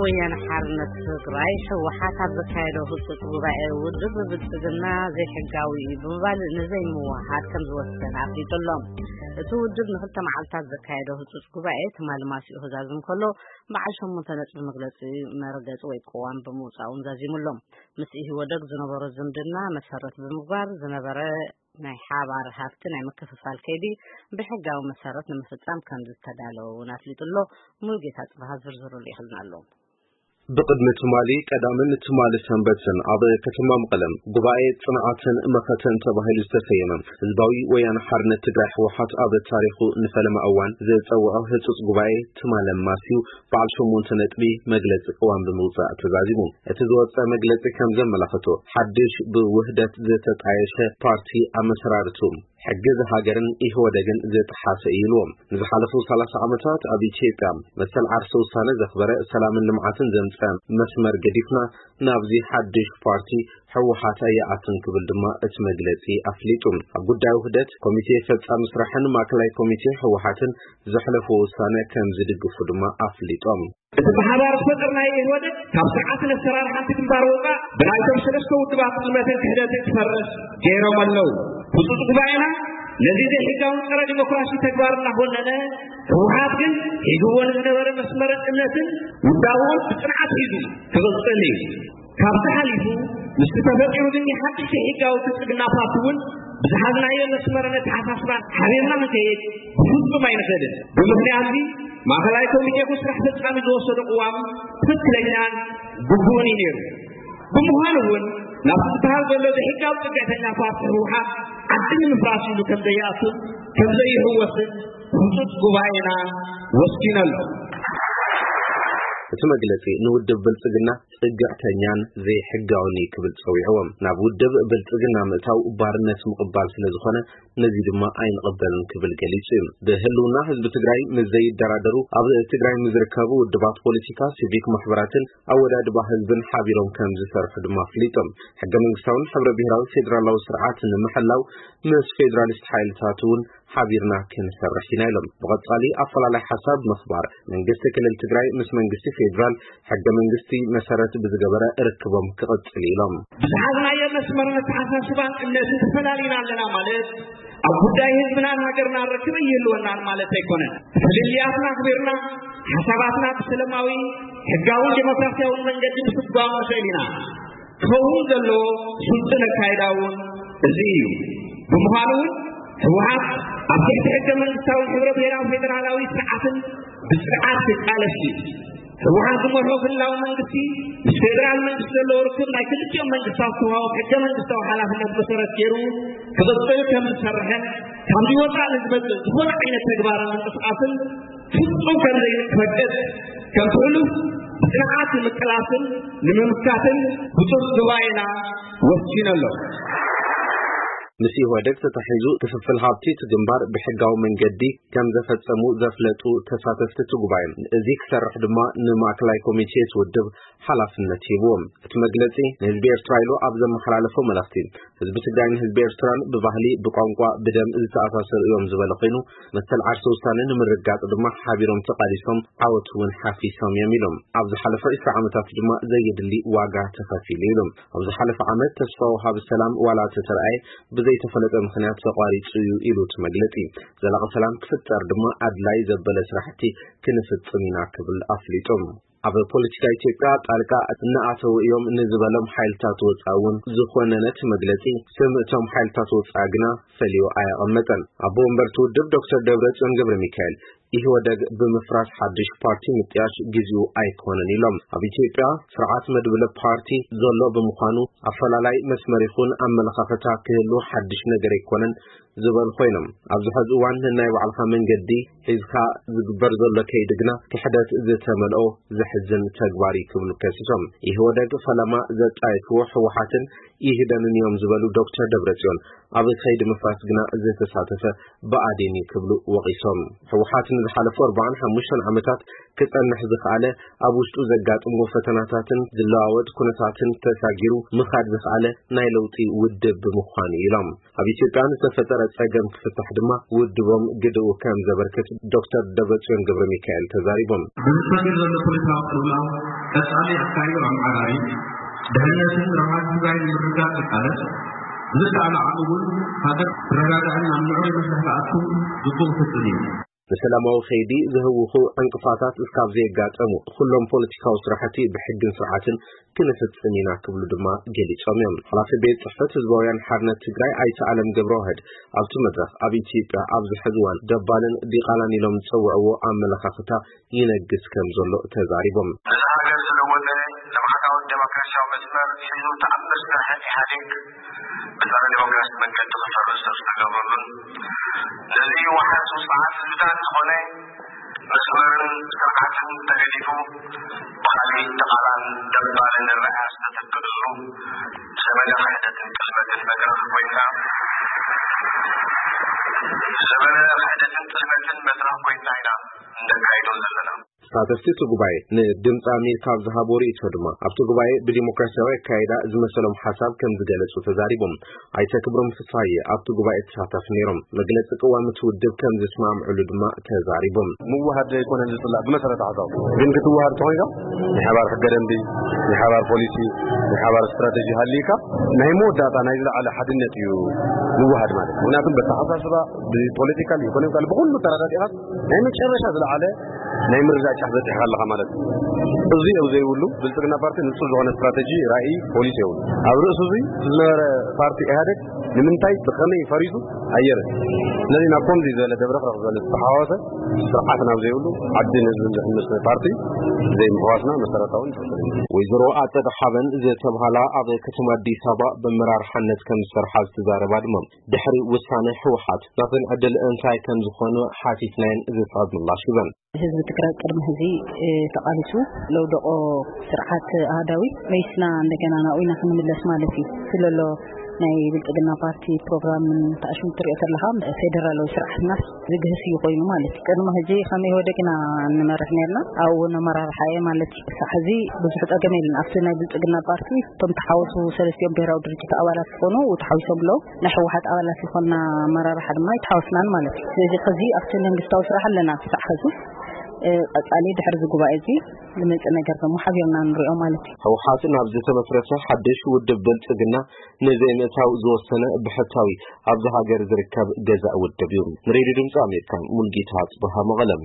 ወያነ ሓርነት ትግራይ፣ ህወሓት፣ ኣብ ዘካየዶ ህጹጽ ጉባኤ ውድብ ብልጽግና ዘይሕጋዊ እዩ ብምባል ንዘይምውሃድ ከም ዝወሰነ ኣፍሊጡ ኣሎ። እቲ ውድብ ንክልተ መዓልታት ዘካየዶ ህጹጽ ጉባኤ ትማሊ ማሲኡ ክዛዝም ከሎ፣ በዓል ሸሞንተ ነጥቢ መግለጺ መርገጺ ወይ ቅዋም ብምውጻእ እውን ዛዚሙ ኣሎ። ምስ ኢህወደግ ዝነበሮ ዝምድና መሰረት ብምግባር ዝነበረ ናይ ሓባር ሃፍቲ ናይ ምክፍፋል ከይዲ ብሕጋዊ መሰረት ንምፍጻም ከም ዝተዳለወ እውን ኣፍሊጡ ኣሎ። ሙሉጌታ ጽባሃ ዝርዝሩ ልኢኽልና ኣሎ። ብቕድሚ ትማሊ ቀዳምን ትማሊ ሰንበትን ኣብ ከተማ መቐለም ጉባኤ ጽንዓትን መኸተን ተባሂሉ ዝተሰየመ ህዝባዊ ወያነ ሓርነት ትግራይ ህወሓት ኣብ ታሪኹ ንፈለማ እዋን ዘጸውዖ ህጹጽ ጉባኤ ትማሊ ኣማስዩ በዓል ሸሞንተ ነጥቢ መግለጺ ቅዋም ብምውጻእ ተዛዚሙ። እቲ ዝወጸ መግለጺ ከም ዘመላኽቶ፣ ሓድሽ ብውህደት ዝተጣየሸ ፓርቲ ኣመሰራርቱ፣ ሕጊ እዚ ሃገርን ኢህወደግን ዝጠሓሰ እዩ ኢልዎም። ንዝሓለፉ ሰላሳ ዓመታት ኣብ ኢትዮጵያ መሰል ዓርሰ ውሳነ ዘኽበረ፣ ሰላምን ልምዓትን ዘምጸ መስመር ገዲፍና ናብዚ ሓድሽ ፓርቲ ህወሓት ኣይኣትን ክብል ድማ እቲ መግለጺ ኣፍሊጡ። ኣብ ጉዳይ ውህደት ኮሚቴ ፈጻሚ ስራሕን ማእከላይ ኮሚቴ ህወሓትን ዘሕለፍዎ ውሳነ ከም ዝድግፉ ድማ ኣፍሊጦም። እቲ ብሓባር ዝፈጠርናዮ ኢህወደግ ካብ ስርዓትን ኣሰራርሓን እቲ ግንባር ወፃእ ብናይቶም ሰለስተ ውድባት ጥልመትን ክሕደትን ክፈርስ ገይሮም ኣለዉ። ህፁፅ ጉባኤና ነዚ ዘይሕጋውን ፀረ ዲሞክራሲ ተግባር እናኾነነ፣ ህወሓት ግን ሒዝዎ ንዝነበረ መስመርን እምነትን ውዳበኡን ብፅንዓት ሒዙ ክቕፅል እዩ። ካብዚ ሓሊፉ ምስቲ ተፈጢሩ ዝኒሀ ሓድሽ ዘይሕጋዊ ብልፅግና ፓርቲ እውን ብዝሓዝናዮ መስመርን ኣተሓሳስባን ሓቢርና ክንከይድ ብፍፁም ኣይንኽእልን። ብምኽንያት እዚ ማእኸላይ ኮሚቴ ይኹን ስራሕ ፈፃሚ ዝወሰዶ ቅዋም ትኽክለኛን ግቡእን እዩ ነይሩ። ብምዃኑ እውን ናብቲ ዝበሃል ዘሎ ዘይሕጋዊ ፅግዕተኛ ፓርቲ ህወሓት ዓዲ ንምፍራስ ኢሉ ከም ዘይኣቱን ከም ዘይህወስን ህፁፅ ጉባኤና ወሲኑ ኣሎ። እቲ መግለጺ ንውድብ ብልጽግና ጽግዕተኛን ዘይሕጋውን እዩ ክብል ጸዊዕዎም። ናብ ውድብ ብልጽግና ምእታው ባርነት ምቕባል ስለ ዝኾነ ነዚ ድማ ኣይንቕበልን ክብል ገሊጹ እዩ። ብህልውና ህዝቢ ትግራይ ምስ ዘይደራደሩ ኣብ ትግራይ ምስ ዝርከቡ ውድባት ፖለቲካ፣ ሲቪክ ማሕበራትን ኣወዳድባ ህዝብን ሓቢሮም ከም ዝሰርሑ ድማ ኣፍሊጦም። ሕገ መንግስታውን ሕብረ ብሔራዊ ፌዴራላዊ ስርዓት ንምሕላው ምስ ፌዴራሊስት ሓይልታት እውን ሓቢርና ክንሰርሕ ኢና ኢሎም። ብቐጻሊ ኣፈላላይ ሓሳብ ምኽባር፣ መንግስቲ ክልል ትግራይ ምስ መንግስቲ ፌዴራል ሕገ መንግስቲ መሰረት ብዝገበረ ርክቦም ክቕጽል ኢሎም። ብዝሓዝናዮ መስመርን ኣተሓሳስባን እምነትን ተፈላሊና ኣለና ማለት ኣብ ጉዳይ ህዝብናን ሃገርናን ርክብ ይህልወናን ማለት ኣይኮነን። ፍልልያትና ኣኽቢርና ሓሳባትና ብሰላማዊ፣ ሕጋውን ዴሞክራሲያውን መንገዲ ምስጓም ንኽእል ኢና። ክኸውን ዘለዎ ስልጡን ኣካይዳ እውን እዚ እዩ። ብምዃኑ እውን ህወሓት ኣብ ትሕቲ ሕገ መንግስታዊ ሕብረ ብሔራዊ ፌዴራላዊ ስርዓትን ብስርዓት ክቃለስ እዩ። ህወሓት ዝመርሖ ክልላዊ መንግስቲ ምስ ፌዴራል መንግስቲ ዘለዎ ርክብ ናይ ክልቲኦም መንግስታት ዝተዋሃቦም ሕገ መንግስታዊ ሓላፍነት መሰረት ገይሩ ክቕፅል ከም ዝሰርሕን ካብዚ ወፃኢ ንዝመፅእ ዝኾነ ዓይነት ተግባርን ምንቅስቃስን ፍጹም ከም ዘይፈቅድ ከም ሕሉፍ ብጽንዓት ንምቅላስን ንምምካትን ህጹጽ ጉባኤና ወሲኑ ኣሎ። ምስ ኢህወደግ ተታሒዙ ክፍፍል ሃብቲ እቲ ግንባር ብሕጋዊ መንገዲ ከም ዘፈጸሙ ዘፍለጡ ተሳተፍቲ እቲ ጉባኤ፣ እዚ ክሰርሕ ድማ ንማእከላይ ኮሚቴ እቲ ውድብ ሓላፍነት ሂብዎም። እቲ መግለጺ ንህዝቢ ኤርትራ ኢሉ ኣብ ዘመሓላለፎ መልእኽቲ፣ ህዝቢ ትግራይን ህዝቢ ኤርትራን ብባህሊ፣ ብቋንቋ፣ ብደም ዝተኣሳሰሩ እዮም ዝበለ ኮይኑ፣ መሰል ዓርሰ ውሳነ ንምርግጋጽ ድማ ሓቢሮም ተቓሊሶም ዓወት እውን ሓፊሶም እዮም ኢሎም። ኣብ ዝሓለፈ ዕስራ ዓመታት ድማ ዘየድሊ ዋጋ ተኸፊሉ ኢሎም። ኣብ ዝሓለፈ ዓመት ተስፋ ወሃቢ ሰላም ዋላ ተተርኣየ ብዘይተፈለጠ ምኽንያት ተቋሪጹ እዩ ኢሉ እቲ መግለጺ። ዘላቒ ሰላም ክፍጠር ድማ ኣድላይ ዘበለ ስራሕቲ ክንፍጽም ኢና ክብል ኣፍሊጡ። ኣብ ፖለቲካ ኢትዮጵያ ጣልቃ እናኣተዉ እዮም ንዝበሎም ሓይልታት ወፃኢ እውን ዝኾነ ነቲ መግለፂ፣ ስም እቶም ሓይልታት ወፃኢ ግና ፈልዩ ኣየቐመጠን። ኣቦ ወንበር እቲ ውድብ ዶክተር ደብረፅዮን ገብረ ሚካኤል፣ ኢህወደግ ብምፍራስ ሓድሽ ፓርቲ ምጥያሽ ግዚኡ ኣይኮነን ኢሎም። ኣብ ኢትዮጵያ ስርዓት መድብለ ፓርቲ ዘሎ ብምዃኑ ኣፈላላይ መስመር ይኹን ኣመለኻኽታ ክህሉ ሓድሽ ነገር ኣይኮነን ዝበሉ ኮይኖም፣ ኣብዚ ሕዚ እዋን ነናይ ባዕልኻ መንገዲ ሒዝካ ዝግበር ዘሎ ከይዲ ግና ክሕደት ዝተመልኦ ዘሕዝን ተግባር እዩ ክብሉ ከሲሶም። ኢህወደግ ፈለማ ዘጣየሽዎ ህወሓትን ይህደንን እዮም ዝበሉ ዶክተር ደብረጽዮን፣ ኣብ ከይዲ ምፍራስ ግና ዝተሳተፈ ብኣዴን እዩ ክብሉ ወቒሶም። ህወሓት ንዝሓለፉ ኣርባዓን ሓሙሽተን ዓመታት ክጸንሕ ዝኸኣለ፣ ኣብ ውሽጡ ዘጋጥምዎ ፈተናታትን ዝለዋወጥ ኩነታትን ተሳጊሩ ምኻድ ዝኸኣለ ናይ ለውጢ ውድብ ብምዃኑ ኢሎም። ኣብ ኢትዮጵያ ዝተፈጠረ ጸገም ክፍታሕ ድማ ውድቦም ግድኡ ከም ዘበርክት ዶክተር ደብረጽዮን ገብረ ሚካኤል ተዛሪቦም። ብዝሰግር ዘሎ ፖለቲካዊ ቅልውላው ቀጻሊ ኣካይዶ ኣመዓራሪ ድሕነትን ረብሓን ትግራይ ንምርግጋጽ ዝቃለስ፣ ብዝከኣለ ዓቕሚ እውን ሃገር ትረጋጋዕን ኣብ ምዕሩይ መስርሕ ትኣቱን ግቡእ ፍጽም እዩ። ንሰላማዊ ከይዲ ዘህውኹ ዕንቅፋታት እስካብ ዘየጋጠሙ፣ ኩሎም ፖለቲካዊ ስራሕቲ ብሕግን ስርዓትን ክንፍጽም ኢና ክብሉ ድማ ገሊጾም እዮም። ሓላፊ ቤት ጽሕፈት ህዝባውያን ሓርነት ትግራይ ኣይተ ኣለም ገብረዋህድ ኣብቲ መድረኽ፣ ኣብ ኢትዮጵያ ኣብዚ ሕዚ እዋን ደባልን ዲቓላን ኢሎም ዝጸውዕዎ ኣመለኻኽታ ይነግስ ከም ዘሎ ተዛሪቦም። ነዚ ሃገር ዝለወጠ ልምዓታዊ ዴሞክራሲያዊ መስመር ሒዙ ተኣምር ዝሰርሐ ኢህኣዴግ ብጸረ ዴሞክራሲ መንገዲ ክፈርስ ዝተገብረሉን፣ ነዚ ዋሕስ ውጽዓት ህዝብታት ዝኾነ መስመርን ስርዓትን ተገዲፉ ብኻልእ ተቓላን ደባልን ኣረኣእያ ዝተተክእሉ ዘመነ ክሕደትን ቅልበትን መድረኽ ኮይና፣ ዘመነ ክሕደትን ቅልበትን መድረኽ ኮይና ኢና እንደካይዶ ዘለና። ተሳተፍቲ እቲ ጉባኤ ንድምፂ ኣሜሪካ ኣብ ዝሃቦ ርእይቶ ድማ፣ ኣብቲ ጉባኤ ብዲሞክራሲያዊ ኣካይዳ ዝመሰሎም ሓሳብ ከም ዝገለጹ ተዛሪቦም። ኣይተ ክብሮም ፍስሃየ ኣብቲ ጉባኤ ተሳታፊ ነይሮም። መግለጺ ቅዋም እቲ ውድብ ከም ዝስማምዕሉ ድማ ተዛሪቦም። ምውሃድ ኣይኮነን ዝጽላእ ብመሰረተ ሓሳቡ፣ ግን ክትውሃድ ተኾይንካ ናይ ሓባር ሕገ ደንቢ፣ ናይ ሓባር ፖሊሲ፣ ናይ ሓባር ስትራተጂ ሃልይካ ናይ መወዳእታ ናይ ዝለዓለ ሓድነት እዩ ምውሃድ ማለት። ምክንያቱም በተሓሳስባ፣ ብፖለቲካል፣ ኢኮኖሚካል፣ ብኩሉ ተረዳዲእካ ናይ መጨረሻ ዝለዓለ ናይ ምርዳእ ጫፍ በፂሕካ ኣለካ ማለት እዩ። እዚ ኣብ ዘይብሉ ብልፅግና ፓርቲ ንፁር ዝኾነ ስትራተጂ፣ ራእይ፣ ፖሊሲ የብሉ። ኣብ ርእሲ እዚ ዝነበረ ፓርቲ ኢህኣደግ ንምንታይ ብኸመይ ፈሪሱ ኣየበን። ስለዚ ናብ ከምዚ ዝበለ ደብረኽረኽ ዝበለ ዝተሓዋወሰ ስርዓት ናብ ዘይብሉ ዓድን ህዝብን ዝሕምስ ፓርቲ ዘይምሕዋስና መሰረታውን ፍልፍልን እዩ። ወይዘሮ ኣጸደ ሓበን ዝተብሃላ ኣብ ከተማ ኣዲስ ኣበባ ብመራርሓነት ከም ዝሰርሓ ዝተዛረባ ድማ፣ ድሕሪ ውሳነ ህወሓት ናተን ዕድል እንታይ ከም ዝኾነ ሓቲትናየን ዝስዕብ ምላሽ ሂበን። ህዝቢ ትግራይ ቅድሚ ሕዚ፣ እ፣ ተቓሊሱ ለውደቆ ስርዓት ኣህዳዊ መይስና እንደገና ናብኡ ኢና ክንምለስ ማለት እዩ። ስለሎ ናይ ብልጽግና ፓርቲ ፕሮግራምን ተኣሽሙ ትሪኦ ተለኻ ፌደራላዊ ስርዓትናስ ዝግህስ እዩ ኮይኑ ማለት እዩ። ቅድሚ ሕዚ ከም ኢህወደግ ኢና ንመርሕ ነርና። ኣብኡ እውን ኣመራርሓ እየ ማለት እዩ። ክሳዕ ሕዚ ብዙሕ ጸገም የለን። ኣብቲ ናይ ብልጽግና ፓርቲ እቶም ተሓወሱ ሰለስቲኦም ብሄራዊ ድርጅት ኣባላት ዝኾኑ ተሓዊሶም ኣለዉ። ናይ ህወሓት ኣባላት ዝኾንና ኣመራርሓ ድማ ኣይተሓወስናን ማለት እዩ። ስለዚ ሕዚ ኣብቲ መንግስታዊ ስራሕ ኣለና ክሳዕ ሕዚ። እ፣ ቀጻሊ ድሕሪ እዚ ጉባኤ እዚ ዝመጽእ ነገር ደግሞ ሓቢርና ንሪኦ ማለት እዩ። ህወሓት ናብ ዝተመስረተ ሓድሽ ውድብ ብልጽግና ንዘይምእታው ዝወሰነ ብሕታዊ ኣብዚ ሃገር ዝርከብ ገዛእ ውድብ እዩ። ንሬድዮ ድምፂ ኣሜሪካ ሙልጌታ ጽበሃ መቐለም።